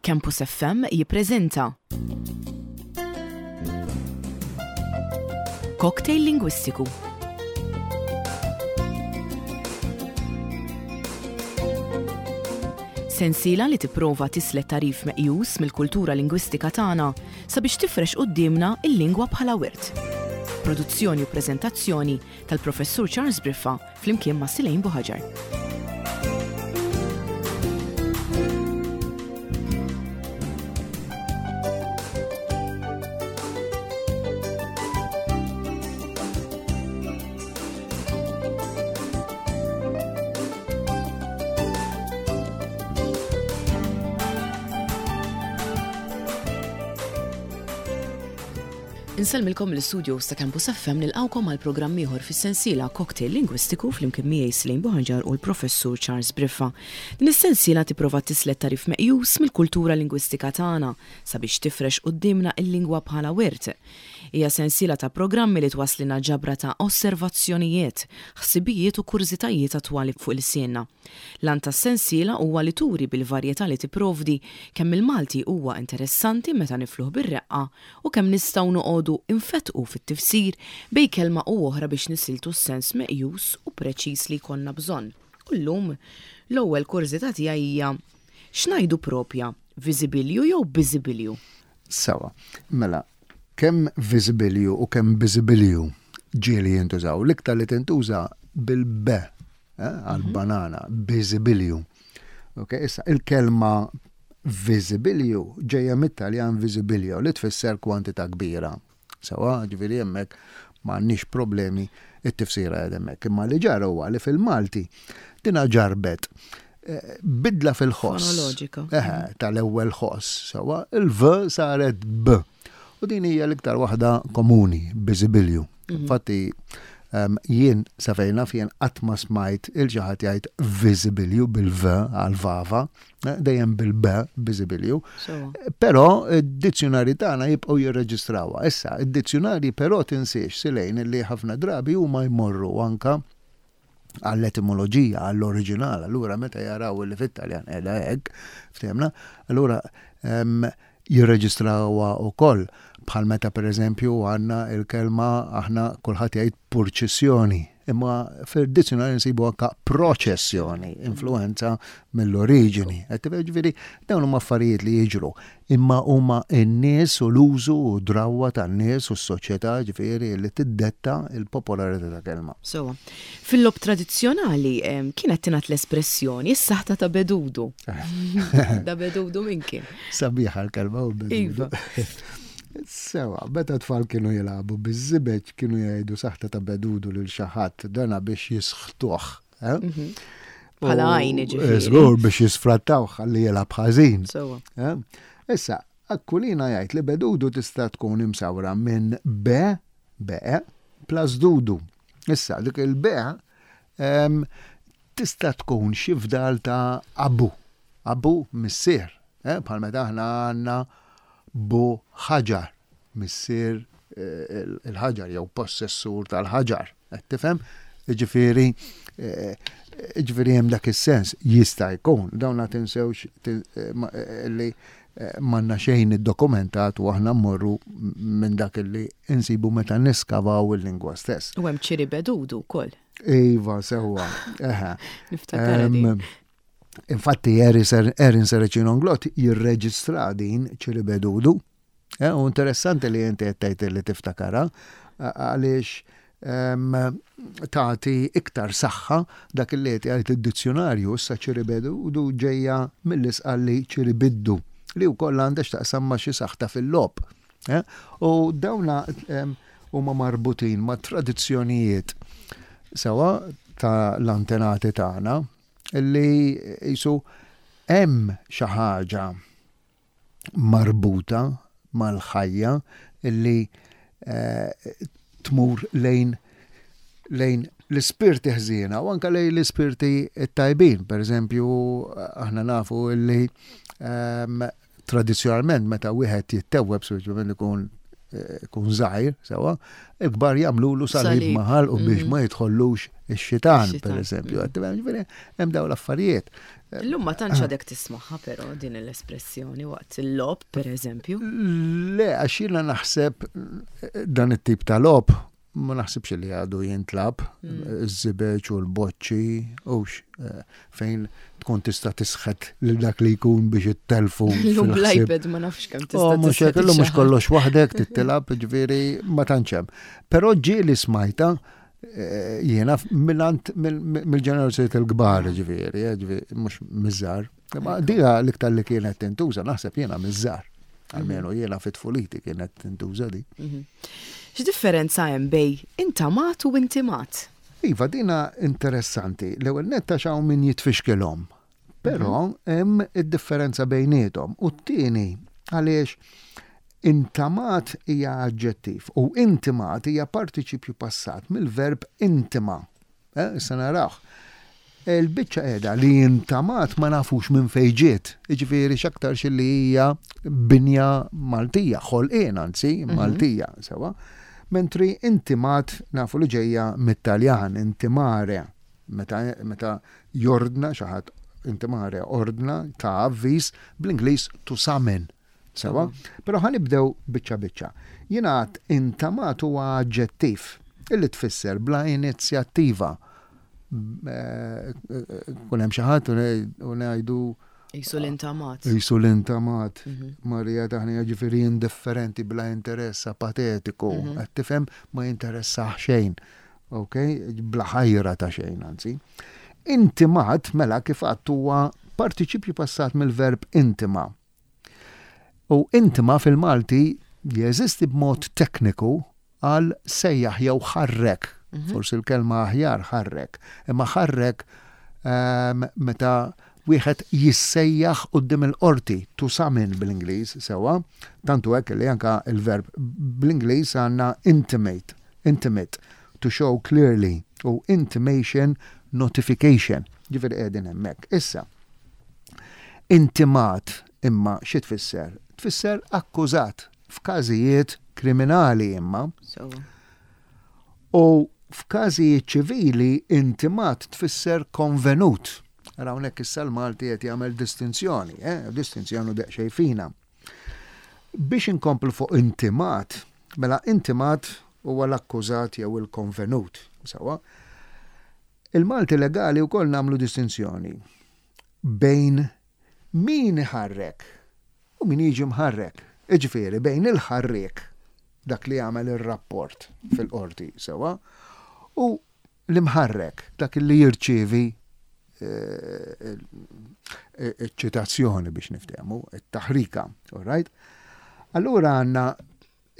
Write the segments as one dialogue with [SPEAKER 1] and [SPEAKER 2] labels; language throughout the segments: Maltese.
[SPEAKER 1] Campus FM jippreżenta Cocktail Lingwistiku. Sensiela li tipprova tislet tagħrif meqjus mill-kultura lingwistika tagħna sabiex tifrex quddiemna l-lingwa bħala wirt. Produzzjoni u preżentazzjoni tal-Professur Charles Briffa flimkien ma' Silejn Buħaġar. Insellmilkom mill-istudios ta' Campus FM nilqgħukom għal programm ieħor fis-sensiela Cocktail Lingwistiku flimkien miegħi Slane Buħanġar u l-Professur Charles Briffa. Din is-sensiela tipprova tislet tagħrif meqjus mill-kultura lingwistika tagħna sabiex tifrex quddiemna l-lingwa bħala wirt. Hija sensiela ta' programmi li twasslilna ġabra ta' osservazzjonijiet, ħsibijiet u kurżitajiet attwali fuq ilsienna. L-għan tas-sensiela huwa li turi bil-varjetà li tipprovdi kemm il-Malti huwa interessanti meta nifluh bir-reqqa u kemm nistgħu noqogħdu nfettqu fit-tifsir bejn kelma u oħra biex nisiltu s-sens meqjus u preċiż li jkollna bżonn. U llum, l-ewwel kurżità tiegħi hija, x'ngħidu propja, viżibilju jew biżibilju?
[SPEAKER 2] Sewwa. Mela, kemm viżibilju u kemm biżibilju ġieli jintużaw. L-iktar li tintuża bil-b eh, għal-banana, biżibilju. Ok, issa il-kelma viżibilju ġejja mit-Taljan visibilio li tfisser kwantità kbira. Sewa, ġifieri hemmhekk m'għandniex problemi it-tifsira qed hemmhekk. Imma li ġara huwa li fil-Malti dina ġarbet eh, bidla fil-ħoss.
[SPEAKER 1] Fonoloġika.
[SPEAKER 2] Eħe, tal-ewwel ħoss, sewa, il-v saret b. U din hija l-iktar waħda komuni, biżibilju. Mhm. Infatti, jien sa fejn naf jien qatt ma smajt il xi ħadd jgħid viżibilju bil-v għal-vava, eh, dejjem bil-b biżibilju. Però id-dizzjonari tagħna jibqgħu jirreġistrawha. Issa, id-dizzjonari però tinsiex silejn li ħafna drabi huma jmorru anka għall-etimoloġija, għall-oriġinal, allura meta jaraw li fit-Taljan qiegħda hekk, ftehmna, allura jirreġistrawha wkoll bħal meta pereżempju għandna l-kelma aħna kulħadd jgħid purċissjoni, imma fid-dizzjonarju nsibu anka proċessjoni, influenza mill-oriġini. Ġifieri dawn huma affarijiet li jiġru, imma huma n-nies u l-użu u d-drawwa tan-nies u s-soċjetà ġifieri li tiddetta l-popolarità ta' kelma.
[SPEAKER 1] Sewwa. Fil-logħob tradizzjonali kienet tingħad l-espressjoni is-saħta ta' bedudu. Da bedudu min kien?
[SPEAKER 2] Sabiħa l-kelma u bedudu.
[SPEAKER 1] Iva.
[SPEAKER 2] Sewa, meta tfal kienu jilagħbu biż-żibeġ kienu jgħidu saħta ta' bedudu lil xi ħadd dana biex jisħtuh. Eh?
[SPEAKER 1] Mhm. Bħala għajn ġifieri.
[SPEAKER 2] Żgur biex jisfrattaw ħalli jilgħab ħażin.
[SPEAKER 1] Sewa.
[SPEAKER 2] Eh? Issa, Akkulina jgħid li bedudu tista' tkun imsawra minn be, be, plus dudu. Issa, dik il-be tista' tkun xi fdal ta' abu, abu missier, eh, bħal meta aħna għandna bu ħaġar, missier eh, il-ħaġar jew possessur tal-ħaġar, qed tifhem? Ġifieri, eh, ġifieri hemm dak is-sens jista' jkun, dawn la tinsewx li M'għandna xejn iddokumentat u aħna mmorru minn dak li insibu meta niskavaw il-lingwa stess.
[SPEAKER 1] U hemm ċiribedudu wkoll.
[SPEAKER 2] Iva, sewwa. Eħe.
[SPEAKER 1] Niftakar din.
[SPEAKER 2] Infatti Erin Serracino Inglott jirreġistra din ċiribedudu. Eh, u interessanti li inti qed tgħid li tiftakarha għaliex tagħti iktar saħħa dak li qed jgħid id-dizzjunarju issa ċiribedu ġejja mill-isqalli ċiribiddu li wkoll għandha x'taqsam ma' xi saħta fil-logħob. Eh? U dawna huma marbutin ma' tradizzjonijiet sewa ta' l-antenati tagħna li jisu hemm xi ħaġa marbuta mal-ħajja li tmur lejn lejn l-ispirti ħżiena u anke lejn l-ispirti tajbin. Per eżempju, aħna nafu li ehm, tradizzjonalment meta wieħed jittewweb speċjalment ikun ikun żgħir, sewwa, il-kbar jagħmlulu salib ma' ħalqu biex ma jidħollux ix-xitan, per eżempju. Ġifieri hemm dawn l-affarijiet.
[SPEAKER 1] Illum ma tantx għadek tismagħha però din l-espressjoni waqt il-logħob, per eżempju.
[SPEAKER 2] Le, għax jiena naħseb dan it-tip ta' logħob ma naħsibx li għadu jintlab iż-żibeġ u l-boċċi hux fejn tkun tista' tisħet lil dak li jkun biex ittelfu.
[SPEAKER 1] Illum bl-iPad ma nafx kemm tista'
[SPEAKER 2] oh, mhux hekk illum mhux kollox waħdek tittilab, ġifieri ma tantx hemm. Però ġieli smajta eh, jiena mingħand mill-ġenerazzjoni il-kbar ġifieri, eh, ġifieri mhux miż-żgħar. Ma dija l-iktar li kienet tintuża naħseb jiena miż-żgħar. Almenu jiena fit-tfuliti kienet tintuża di. Mhm.
[SPEAKER 1] X'differenza hemm bej intamat u intimat?
[SPEAKER 2] Iva, dina interessanti. L-ewwel nett għax hawn min jitfixkilhom. Però mhm. hemm id-differenza bejniethom. U t-tieni għaliex intamat hija aġġettiv u intimat hija partiċipju passat mill-verb intima. Eh, issa narawh. Il-biċċa qiegħda li intamat ma nafux minn fejn ġiet. Jiġifieri x'aktarx li hija binja Maltija, ħolqien anzi mhm. Maltija, sewa. Mentri intimat nafu li ġejja mit-Taljan, intimare, meta, meta jordna xi ħadd intimare ordna ta' avviż bl-Ingliż to summon. Sewa? Però ħa nibdew biċċa biċċa. Jiena għadt intamat huwa aġġettiv illi tfisser bla inizjattiva. Kun hemm xi ħadd u ngħidu
[SPEAKER 1] Jisu l-intamat.
[SPEAKER 2] Jisu l-intamat. Mhm. Marija taħni ġifieri indifferenti bla interess apatetiku. Mhm. Qed tifhem ma jinteressaħ xejn. Ok? Bla ħajra ta' xejn anzi. Intimat mela kif għadt huwa partiċipju passat mill-verb intima. U intima fil-Malti jeżisti b'mod tekniku għal sejjaħ jew ħarrek. Mhm. Forsi l-kelma aħjar ħarrek. Imma ħarrek ehm, meta wieħed jissejjaħ quddiem il-qorti, to summon bl-Ingliż sewwa, tantu hekk li anka il-verb bl-Ingliż għandna intimate, intimate, to show clearly u intimation, notification. Ġifieri qegħdin hemmhekk. Issa, Intimat imma xi tfisser? Tfisser akkużat f'każijiet kriminali imma. U f'każijiet ċivili intimat tfisser konvenut. Ara hawnhekk issa l-Malti qed jagħmel distinzjoni, eh? distinzjoni daqsxejn fina. Biex inkomplu fuq intimat, mela intimat huwa l-akkużat jew il-konvenut, sewwa. Il-Malti legali wkoll nagħmlu distinzjoni bejn min iħarrek u min jiġi mħarrek. Jiġifieri bejn il-ħarriek, dak li jagħmel ir-rapport fil-qorti sewwa, u l-imħarrek, dak li jirċievi eh, iċ-ċitazzjoni biex niftehmu, it-taħrika, all right? Allura għandna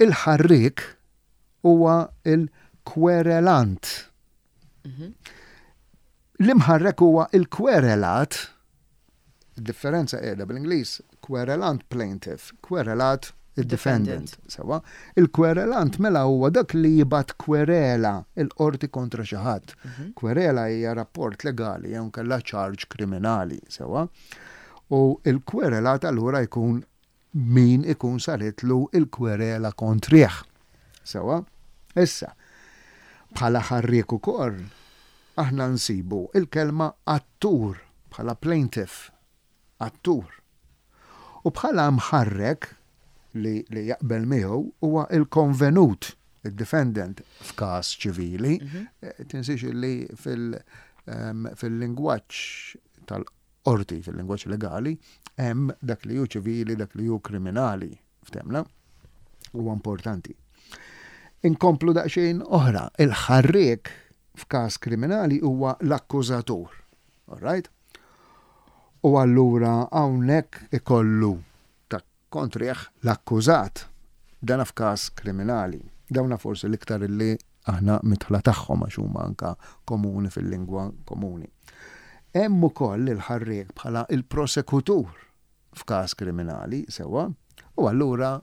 [SPEAKER 2] il-ħarriek huwa il-kwerelant. Mhm. L-imħarrek huwa il-kwerelat, differenza qiegħda bl-Ingliż, querelant plaintiff, querelat id-defendant. Sewa, il-kwerelant mela huwa dak li jibgħat kwerela il-qorti kontra xi ħadd. Mhm. Kwerela hija rapport legali jew kellha charge kriminali, sewa. U il-kwerelat allura jkun min ikun saritlu l-kwerela kontrih. Sewwa? Issa, bħala ħarriek ukoll, aħna nsibu l-kelma attur bħala plaintiff, attur. U bħala mħarrek li, li jaqbel miegħu huwa l-konvenut, id-defendant f'każ ċivili. Mhm. Eh, tinsiex li ehm, fil-lingwaġġ tal qorti fil-lingwaġġ legali hemm dak li hu ċivili, dak li hu kriminali, ftemna? Huwa importanti. Inkomplu daqsxejn oħra, il-ħarriek f'każ kriminali huwa l-akkużatur. All right? U allura hawnhekk ikollu ta' kontrih l-akkużat, dana f'każ kriminali. Dawna forsi l-iktar li aħna midħla tagħhom għax huma anka komuni fil-lingwa komuni. Hemm ukoll il-ħarriek bħala il-prosekutur f'każ kriminali, sewwa, u allura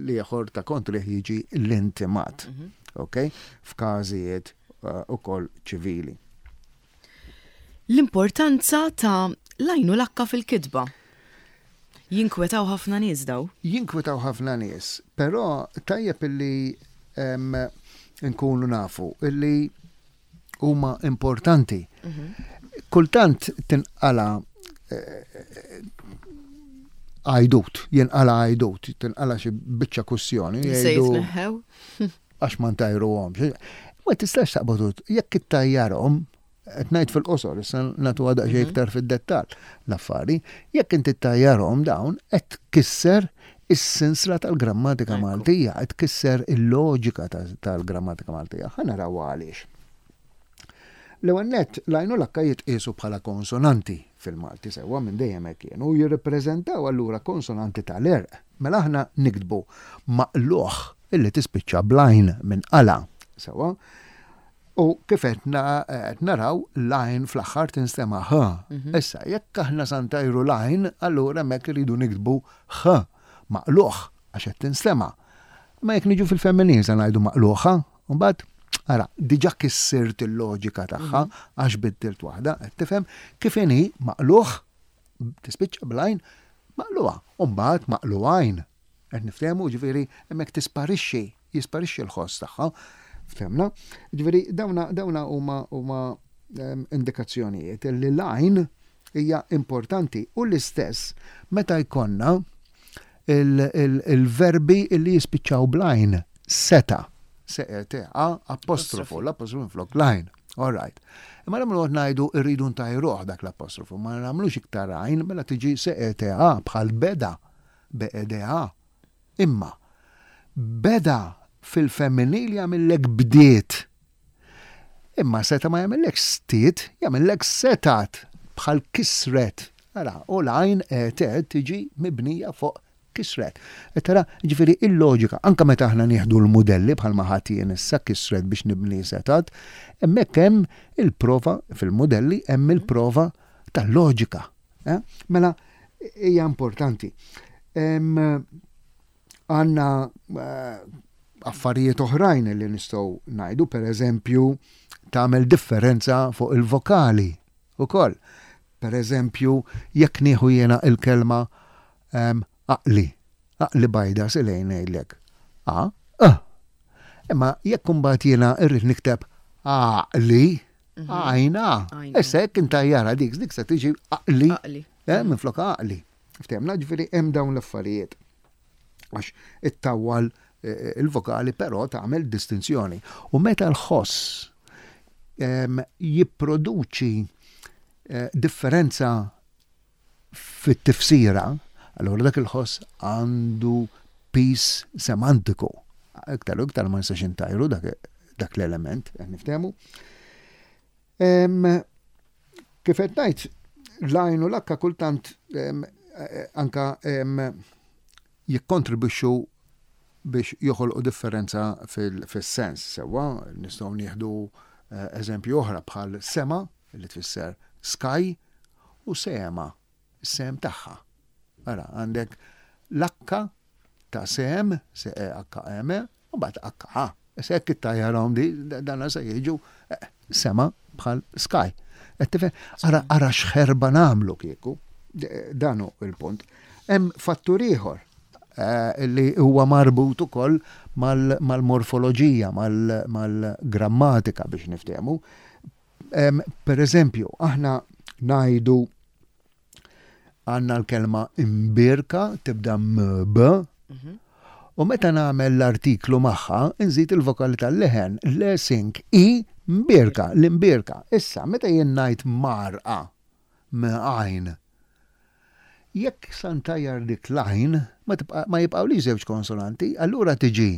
[SPEAKER 2] l-ieħor ta' kontrih jiġi l-intimat, mhm. ok? F'każijiet eh, ukoll ċivili.
[SPEAKER 1] L-importanza ta' l-għajn u l-akka fil-kitba. Jinkwetaw ħafna nies daw.
[SPEAKER 2] Jinkwetaw ħafna nies, però tajjeb illi nkunu nafu illi huma importanti. Kultant tinqala għajdut, jinqala għajdut, tinqala xi biċċa kussjoni.
[SPEAKER 1] Se jitneħħew?
[SPEAKER 2] Għax ma ntajruhomx. Ma tistax taqbad jekk ittajjarhom, qed ngħid fil-qosor, issa nagħtuha daqsxejn iktar fid-dettall l-affari, jekk inti ttajjarhom dawn qed tkisser is-sinsla tal-grammatika Maltija, qed tkisser il-loġika tal-grammatika Maltija. Ħa naraw għaliex. L-ewwel nett, l-għajn u l-akka jitqiesu bħala konsonanti fil-Malti sewwa minn dejjem hekk kienu u jirrippreżentaw allura konsonanti tal-għerq. Mela aħna niktbu maqlugħ illi tispiċċa bl-għajn minn qala' sewwa. U kif qed naraw l-għajn fl-aħħar tinstema' ħ. Issa jekk aħna sa ntajru l-għajn allura hemmhekk irridu niktbu ħ maqlugħ għax qed tinstema'. Imma jekk niġu fil-femminil se ngħidu maqlugħa? U mbagħad, ara, diġà kissirt il-loġika tagħha għax biddilt waħda, qed tifhem kif inhi maqlugħ tispiċċa bl-għajn maqlugħa u mbagħad maqlugħajn. Qed niftehmu, ġifieri hemmhekk tisparixxi, jisparixxi l-ħoss tagħha. Ftemna? Ġifieri dawna dawna huma huma ehm, indikazzjonijiet li l-għajn hija importanti u l-istess meta jkollna il-verbi li jispiċċaw bl-għajn, seta, S-E-T-A, apostrofu, l-apostrofu minflok l-għajn. All right. Imma nagħmlu qed ngħidu rridu ntajruh dak l-apostrofu, ma nagħmlux iktar għajn mela tiġi S-E-T-A bħal beda, B-E-D-A. Imma beda fil-femminil jagħmillek bdiet. Imma seta' ma jagħmillekx stiet, jagħmillek setat, bħal kisret. Ara, u l-għajn et tiġi mibnija fuq kisret. Qed tara, jiġifieri il-loġika, anke meta aħna nieħdu l-mudelli bħalma ħadt jien issa kisret biex nibni setat, hemmhekk hemm il-prova fil-mudelli hemm il-prova tal-loġika. Eh? Mela hija importanti. Għandna eh, affarijiet oħrajn li nistgħu ngħidu, per eżempju, tagħmel differenza fuq il-vokali ukoll. Per eżempju, jekk nieħu jiena il-kelma ehm, aqli, aqli bajda silejn ngħidlek. A, e. Imma jekk imbagħad jiena rrid nikteb aqli, mhm. għajna. Issa jekk intajjara dik, dik se tiġi aqli. Eh, minflok aqli. Ftehmna, ġifieri hemm dawn l-affarijiet. Għax ittawwal eh, il-vokali però tagħmel distinzjoni. U meta l-ħoss ehm, jipproduċi eh, differenza fit-tifsira, allora dak il-ħoss għandu pis semantiku. Iktar u iktar ma nistax intajru dak, dak l-element, niftehmu. Kif qed ngħid, l-għajn u l-akka kultant anka jikkontribwixxu biex joħolqu differenza fis-sens. Sewwa, nistgħu nieħdu eh, eżempju oħra bħal sema li tfisser sky u sema, is-sehem tagħha. Ara, għandek l-akka ta' sehem, S-E-H-M, u mbagħad H. Issa jekk ittajjarhom di, dana se jiġu eh, sema bħal sky. Qed tifhem? Ara ara x'ħerba nagħmlu kieku. Dan hu il-punt. Hemm fattur ieħor eh, li huwa marbut ukoll mal-morfoloġija, mal-grammatika biex niftehmu. Per eżempju, aħna ngħidu għandna l-kelma imbierka tibda mb, mhm. u meta nagħmel l-artiklu magħha nżid il-vokali tal-leħen le sink i mbierka, l-imbierka. Issa, meta jien ngħid marqa m-għajn, jekk sa ntajjar dik l-għajn, ma jibqgħulix żewġ konsonanti, allura tiġi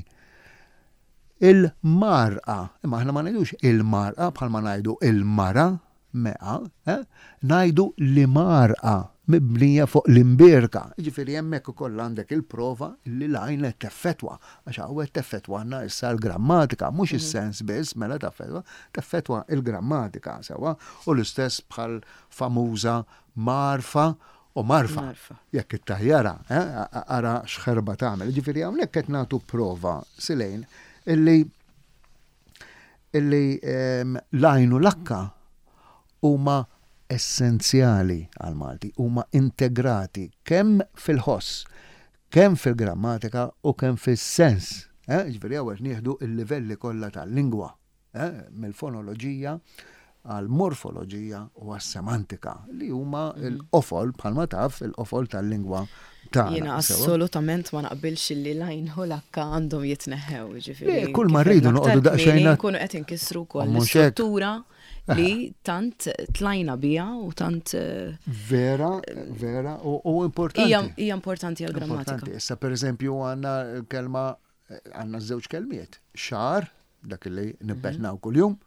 [SPEAKER 2] il-marqa. Imma aħna ma ngħidux il-marqa bħalma ngħidu il-mara, Mea, eh? Ngħidu l-imgħarqa mibnija fuq l-imbierka. Jiġifieri hemmhekk ukoll għandek il-prova li l-għajn qed teffettwa, għax hawn qed teffettwalna issa l-grammatika, mhux is-sens biss mela taffettwa, teffettwa l-grammatika sewwa, u l-istess bħal famuża mgħarfa u marfa. Jekk ittajjarha, eh, ara x'ħerba tagħmel. Jiġifieri hawnhekk qed nagħtu prova Silejn illi illi ehm, l-għajn u l-akka huma essenzjali għall-Malti, huma integrati kemm fil-ħoss, kemm fil-grammatika u kemm fis-sens. Eh? Ġifieri hawn qed nieħdu l-livelli kollha tal-lingwa, eh? mill-fonoloġija għall-morfoloġija u għas-semantika li huma l-qofol bħalma taf il-qofol tal-lingwa tagħna.
[SPEAKER 1] Jiena assolutament ma naqbilx li l-għajn u l-akka għandhom jitneħħew, ġifieri.
[SPEAKER 2] Kull ma rridu noqogħdu daqsxejn.
[SPEAKER 1] Nkunu qed inkissru wkoll l-istruttura li tant tlajna biha u tant. Eh,
[SPEAKER 2] vera, vera, u importanti.
[SPEAKER 1] Hija importanti għall-grammatika.
[SPEAKER 2] Issa pereżempju għandna kelma għandna żewġ kelmiet, xahar, dak li nibbetnaw mhm. kuljum,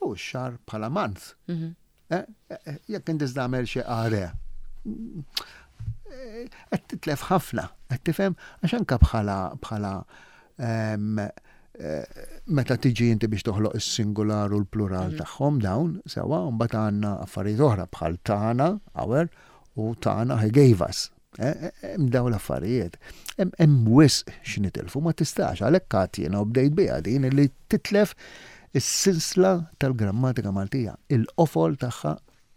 [SPEAKER 2] u x-xahar bħala month. Mhm. Eh, eh, jekk inti tagħmel xi qare, eh, qed titlef ħafna, qed tifhem għax anke bħala bħala ehm, meta tiġi inti biex toħloq is-singular u l-plural mhm. tagħhom dawn sewa, mbagħad għandna affarijiet oħra bħal tagħna, our, u tagħna he gave us. Eh, eh, hemm dawn l-affarijiet. Hemm wisq x'nitilfu ma tistax għalhekk għad jiena u bdejt biha din li titlef is-sinsla tal-grammatika Maltija, il-qofol tagħha,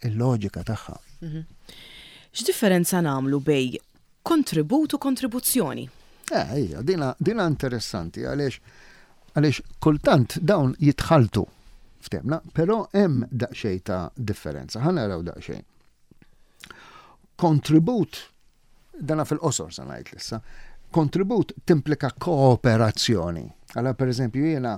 [SPEAKER 2] il-loġika tagħha.
[SPEAKER 1] Mhm. X'differenza nagħmlu bej kontribut u kontribuzzjoni?
[SPEAKER 2] Eh, ija, dina, dina interessanti għaliex għaliex kultant dawn jitħaltu ftemna, però hemm daqsxejn ta' differenza. Ħa naraw daqsxejn. Kontribut, dana fil-qosor sa ngħid issa, kontribut timplika kooperazzjoni. Għala per eżempju jiena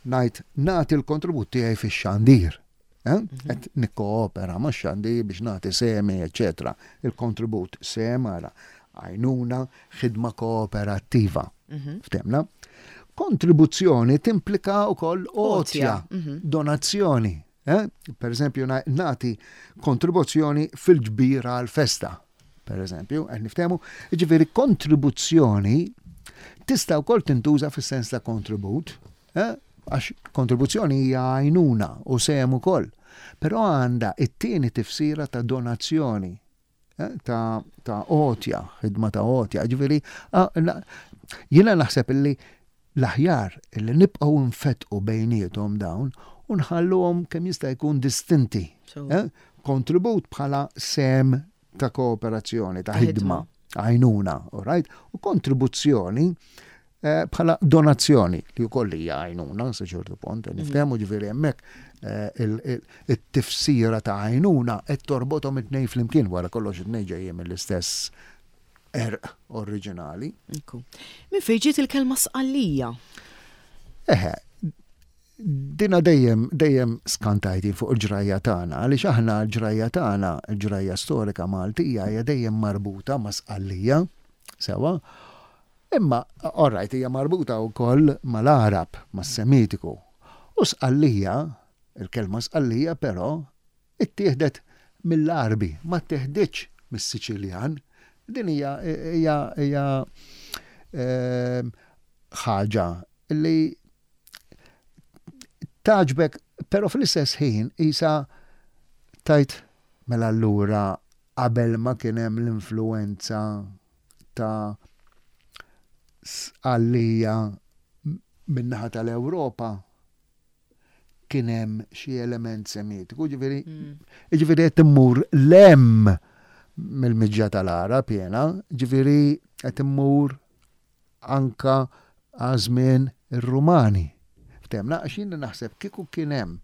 [SPEAKER 2] ngħid nagħti l-kontribut tiegħi fix-xandir. Eh? Mhm. Qed nikkoopera ma' xandir biex nagħti semi, eċetera. Il-kontribut sem ara għajnuna, ħidma kooperattiva. Mhm. Ftemna? Kontribuzzjoni timplika wkoll għotja, mhm. donazzjoni. Eh? Per eżempju, nagħti kontribuzzjoni fil-ġbir għal-festa. Per eżempju, qed niftehmu, jiġifieri kontribuzzjoni tista' wkoll tintuża fis-sens ta' kontribut, eh? għax kontribuzzjoni hija għajnuna u sehem ukoll. Però għandha it-tieni tifsira ta' donazzjoni eh, ta' ta' għotja, ħidma ta' għotja. Ġifieri, jiena naħseb illi l-aħjar illi nibqgħu nfettqu bejniethom dawn u nħalluhom kemm jista' jkun distinti. Eh? Kontribut bħala sem ta' kooperazzjoni, ta' ħidma, għajnuna, all right? U kontribuzzjoni eh, bħala donazzjoni li wkoll hija għajnuna sa ċertu punt, mhm. niftehmu ġifieri hemmhekk eh, it-tifsira ta' għajnuna qed torbothom it-tnejn flimkien wara kollox it-tnejn ġejjin mill-istess erq oriġinali.
[SPEAKER 1] Min fejn ġiet il-kelma sqallija?
[SPEAKER 2] Eħe, dina dejjem dejjem skantajti fuq il-ġrajja tagħna, għaliex aħna l-ġrajja tagħna, il-ġrajja storika Maltija hija dejjem marbuta ma' Sqallija, sewa, Imma, all right, hija marbuta wkoll mal-Għarab, mas-Semitiku. U Sqallija, il-kelma Sqallija però, ittieħdet mill-Għarbi, ma ttieħditx mis-Siċiljan. Din hija hija hija ehm, ħaġa li tagħġbek, però fl-istess ħin isa tajt mela allura qabel ma kien hemm l-influenza ta' Sqallija min-naħa tal-Ewropa kien hemm xi element Semitiku, ġifieri mm. ġifieri qed immur lem mill-miġja tal-Għarab jiena, ġifieri qed immur anka għażmien ir-Rumani. Ftemna għax jien naħseb kieku kien hemm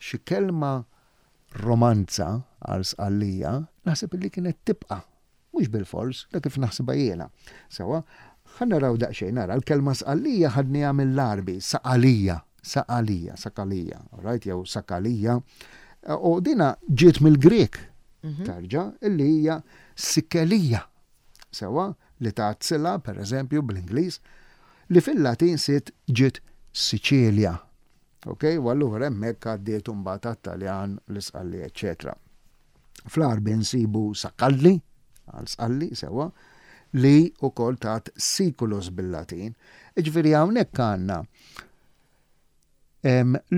[SPEAKER 2] xi kelma romanza għal Sqallija, naħseb li kienet tibqa' Mhux bilfors, dak kif naħsibha jiena. Sewwa, ħa naraw daqsxejn, ara, l-kelma Sqallija ħadniha mill-Għarbi, Saqalija, Saqalija, Sakalija, all right, jew Sakalija. U dina ġiet mill-Grieg, mhm. tarġa, illi hija Sikelija. Sewwa, li tat sila, per eżempju, bl-Ingliż, li fil-Latin siet ġiet Siċilja. Ok, u allura hemmhekk għaddiet imbagħad għat-Taljan, l-Isqalli, eċċetera. Fl-Għarbi nsibu Sakalli, għal Sqalli, sewwa, li wkoll tat Siculus bil-Latin. Jiġifieri hawnhekk għandna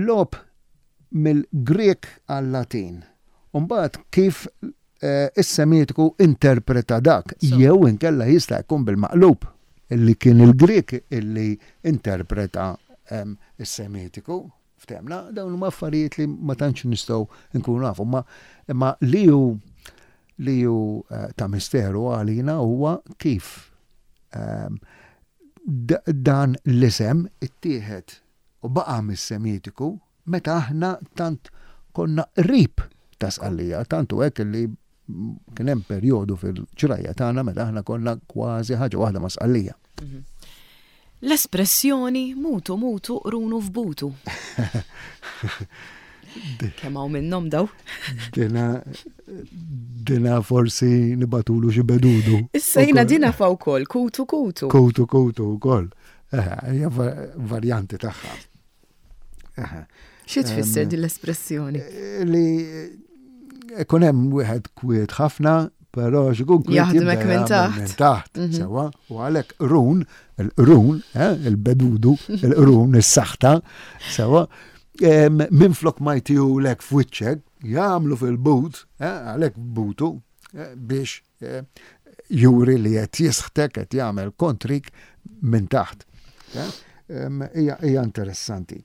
[SPEAKER 2] logħob mill-Grieg għal-Latin. U mbagħad kif eh, is-Semitiku interpreta dak, jew inkella jista' jkun bil-maqlub, illi kien il-Grieg illi interpreta is-Semitiku. Ftemna, dawn huma affarijiet li ma tantx nistgħu nkunu nafu, ma imma li hu li hu eh, ta' misteru għalina huwa kif ehm, dan l-isem ittieħed u baqa' mis-Semitiku meta aħna tant konna qrib ta' Sqallija, tant hu hekk li kien hemm perjodu fil-ġrajja tagħna meta aħna konna kważi ħaġa waħda ma' Sqallija. Mhm.
[SPEAKER 1] L-espressjoni mutu mutu qrunu f'butu. Kemm hawn minnhom daw?
[SPEAKER 2] Dina dina forsi nibatulu xi bedudu.
[SPEAKER 1] Issa jiena dina fa wkoll kutu kutu.
[SPEAKER 2] Kutu kutu wkoll. Eh, hija varjanti tagħha.
[SPEAKER 1] Xi tfisser din l-espressjoni?
[SPEAKER 2] Eh, li ikun hemm wieħed kwiet ħafna, però xikun
[SPEAKER 1] kwiet jaħdmek minn taħt.
[SPEAKER 2] Minn taħt, mhm. sewa, u għalhekk run, il-qrun, eh, il-bedudu, il-qrun, is-saħta, sewa, minn flok ma jtihulek f'wiċċek, jagħmlu fil-but, eh, għalhekk butu, biex eh, juri li qed jisħtek qed jagħmel kontrik minn taħt. Eh, hija interessanti.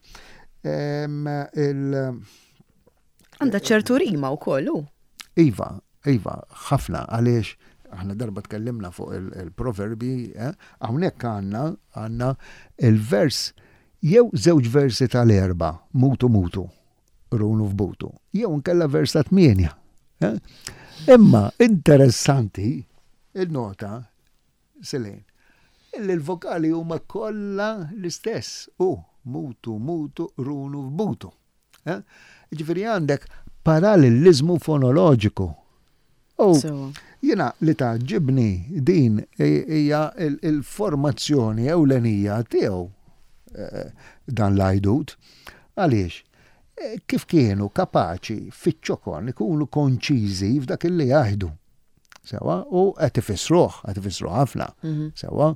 [SPEAKER 1] Għandha ċertu rima wkoll hu.
[SPEAKER 2] Iva, iva, ħafna għaliex aħna darba tkellimna fuq il-proverbi, eh, hawnhekk għandna għandna il-vers jew żewġ versi tal-erba, mutu mutu. Runu f'butu, jew nkella vers ta' tmienja. Eh? Imma interessanti il-nota Selin, illi l-vokali huma kollha l-istess u mutu mutu runu f'butu. Eh? Ġifieri għandek parallelizmu fonoloġiku. U jiena li tgħaġġibni din hija l-formazzjoni ewlenija tiegħu eh, dan l-għajdut. Għaliex? Eh, kif kienu kapaċi fiċ-ċokon ikunu konċiżi f'dak li jgħidu. Sewa, u qed ifissruh, qed ifissruh ħafna. Mhm. Sewa,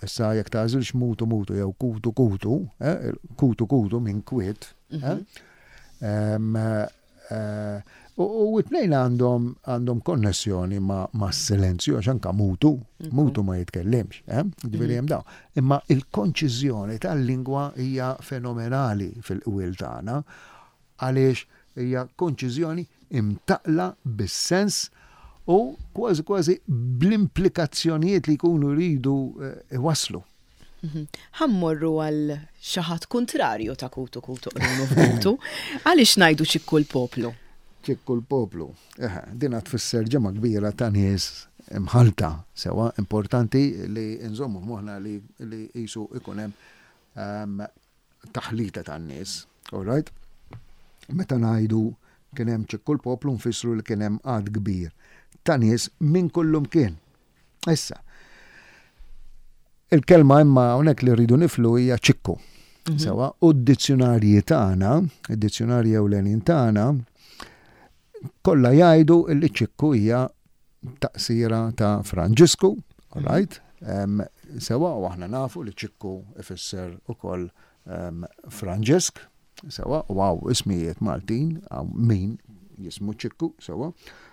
[SPEAKER 2] issa jekk tagħżilx mutu mutu jew kutu kutu, eh, kutu kutu minn kwiet. Mhm. U it-tnejn għandhom għandhom konnessjoni ma', ma silenzju għax anka mutu, mutu ma jitkellimx, eh? Ġifieri hemm dawn. Imma il-konċiżjoni tal-lingwa hija fenomenali fil-qwiel tagħna għaliex hija konċiżjoni imtaqla bis-sens u kważi kważi bl-implikazzjonijiet li jkunu jridu eh, iwasslu.
[SPEAKER 1] Mhm. Ħa mmorru għal xi ħadd kuntrarju ta' kutu kutu qrunu f'kutu. Għaliex ngħidu ċikku l-poplu?
[SPEAKER 2] Ċikku l-poplu. Dina tfisser ġemgħa kbira ta' nies imħallta sewa importanti li nżommu f'moħħna li qisu ikun hemm ehm, taħlita tan-nies. All right? Meta ngħidu kien hemm ċikku l-poplu nfissru li kien hemm għad kbir ta' nies minn kullum kien. Issa, il-kelma imma hawnhekk li rridu niflu hija ċikku. Mhm. Sewa, u d-dizzjonarji tagħna, id-dizzjonarji ewlenin tagħna, kollha jgħidu li ċikku hija taqsira ta' Franġisku, all mhm. right? Sewa, u aħna nafu li ċikku ifisser ukoll Franġisk, Sewa, u hawn ismijiet Maltin, hawn min jismu Ċikku, sewa.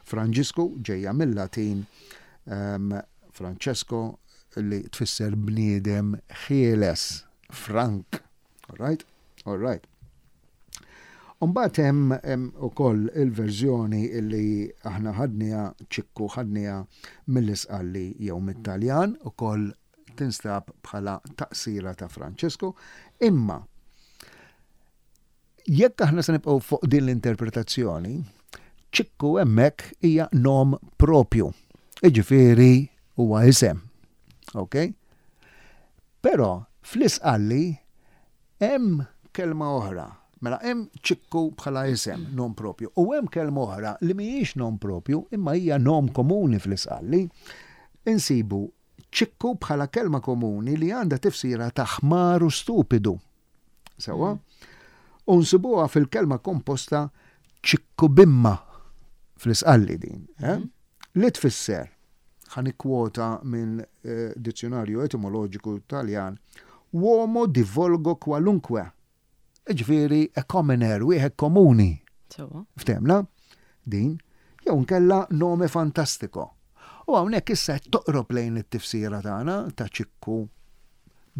[SPEAKER 2] Franġisku ġejja mill-Latin ehm, Francesco li tfisser bniedem ħieles, frank. All right? All right. Umbat hemm ukoll il-verżjoni li aħna ħadniha ċikku ħadniha mill-Isqalli jew mit-Taljan ukoll tinstab bħala taqsira ta' Francesco, imma jekk aħna se nibqgħu fuq din l-interpretazzjoni, ċikku hemmhekk hija nom propju. Iġifieri huwa isem. Ok? Però fl-isqalli hemm kelma oħra. Mela hemm ċikku bħala isem, nom propju, u hemm kelma oħra li mhijiex nom propju imma hija nom komuni fl-isqalli. Insibu ċikku bħala kelma komuni li għandha tifsira ta' ħmar u stupidu. Sewwa? Mm. U nsibuha fil-kelma komposta ċikkubimma fl-isqalli din, eh? Mm. Li tfisser, ħa nikkwota minn eh, dizzjonarju etimoloġiku Taljan, uomo di volgo qualunque. Ġifieri a commoner, wieħed komuni. Ftemna? Din. Jew nkella nome fantastico. U hawnhekk issa qed toqrob lejn it-tifsira tagħna ta' ċikku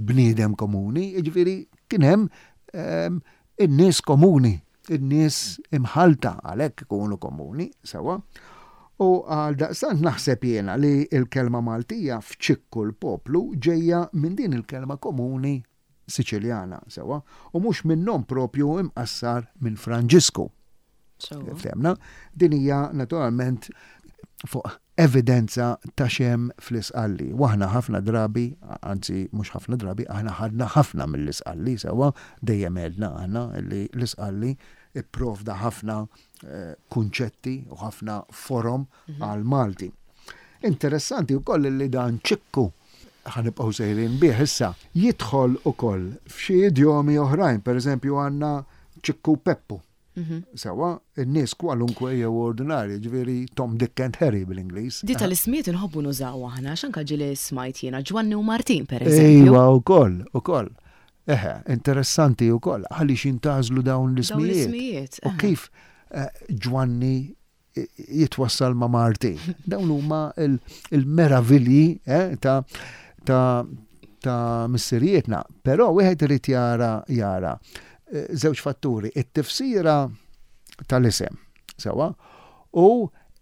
[SPEAKER 2] bniedem komuni, jiġifieri kien hemm ehm, in-nies komuni, in-nies imħallta għalhekk ikunu komuni, sewwa. U għaldaqstant naħseb jiena li l-kelma Maltija f'Ċikku l-poplu ġejja minn din il-kelma komuni Siċiljana, sewwa, u mhux minn nom propju imqassar minn Franġisku. Ftemna, din hija naturalment fuq evidenza ta' xem fl-Isqalli. U aħna ħafna drabi, anzi mhux ħafna drabi, aħna ħadna ħafna mill-Isqalli, sewwa, dejjem għedna aħna li l-Isqalli ipprovda ħafna eh, kunċetti u ħafna forom mhm. għal Malti. Interessanti wkoll li dan ċikku ħanibqgħu sejrin bih issa jidħol ukoll f'xi idjomi oħrajn, pereżempju għandna ċikku Peppu. Mhm. Sewa, in-nies kwalunkwe jew ordinarji, ġifieri Tom, Dick and Harry bil-Ingliż.
[SPEAKER 1] Di tal-ismijiet inħobbu nużaw aħna, x'anka ġieli smajt jiena Ġwanni u Martin pereżempju.
[SPEAKER 2] Ejwa wkoll, ukoll. Eħe, interessanti wkoll għaliex jintgħażlu dawn l-ismijiet.
[SPEAKER 1] L-ismijiet.
[SPEAKER 2] U kif eh, Ġwanni jitwassal ma' Martin. Dawn huma il-meravilji eh, ta' ta' ta' missirijietna. Però wieħed irid jara jara eh, żewġ fatturi, it-tifsira tal-isem, sewa, u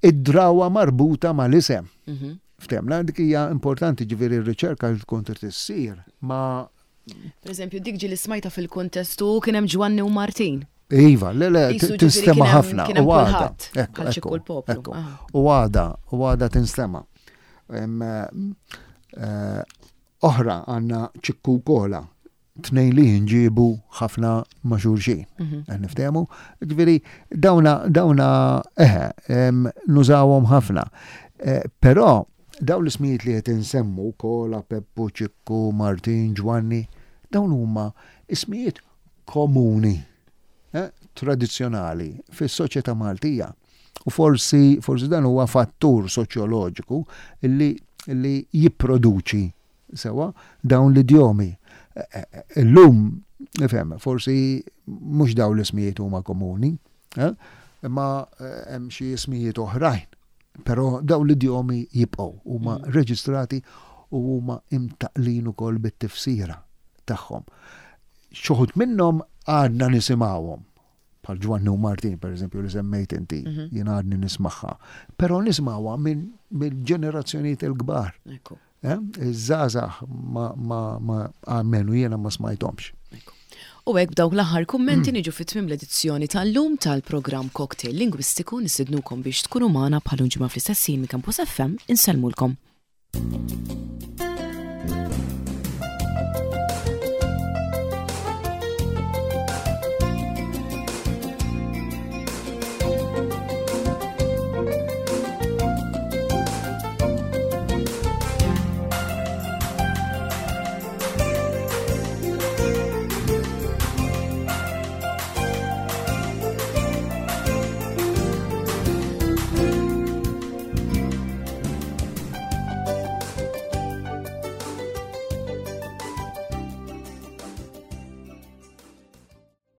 [SPEAKER 2] id-drawa marbuta mal-isem. Mhm. Ftemna, dik hija importanti ġifieri r-riċerka li tkun trid issir ma'
[SPEAKER 1] Per eżempju, dik ġieli smajta fil-kontestu kien hemm Ġwanni u Martin.
[SPEAKER 2] Iva, le, le, tinstema ħafna.
[SPEAKER 1] U għada. Ekku,
[SPEAKER 2] ekku. Ah. U għada, u għada tinstema. Eh, oħra għanna ċikku kola, tnejn li jinġibu ħafna ma' xulxin. Mhm. Eh, niftehmu? Ġifieri dawna dawna eħe nużawhom ħafna. Eh, però dawn l-ismijiet li qed insemmu Kola, Peppu, Ċikku, Martin, Ġwanni, dawn huma ismijiet komuni, eh, tradizzjonali fis-soċjetà Maltija. U forsi, forsi dan huwa fattur soċjoloġiku li, li jipproduċi sewa dawn l-idjomi. Eh, eh, illum, nifhem, forsi mhux dawn l-ismijiet huma komuni, imma hemm xi ismijiet oħrajn. Però dawn l-idjomi jibqgħu huma mm. reġistrati u huma imtaqlin ukoll bit-tifsira tagħhom. Xuħud minnhom għadna nisimgħuhom bħal Ġwanni u Martin, per eżempju, li semmejt inti, mhm. jien għadni nismaħħa. Però nismawha minn ġenerazzjonijiet il-kbar. Eh? Iż-żgħażagħ ma ma ma almenu jiena ma smajthomx.
[SPEAKER 1] U hekk b'dawk l-aħħar kummenti niġu fi tmiem l-edizzjoni tal-lum tal-programm Cocktail Lingwistiku nistidnukom biex tkunu magħna bħal ġimgħa fl-istess ħin minn Campus FM insellmulkom.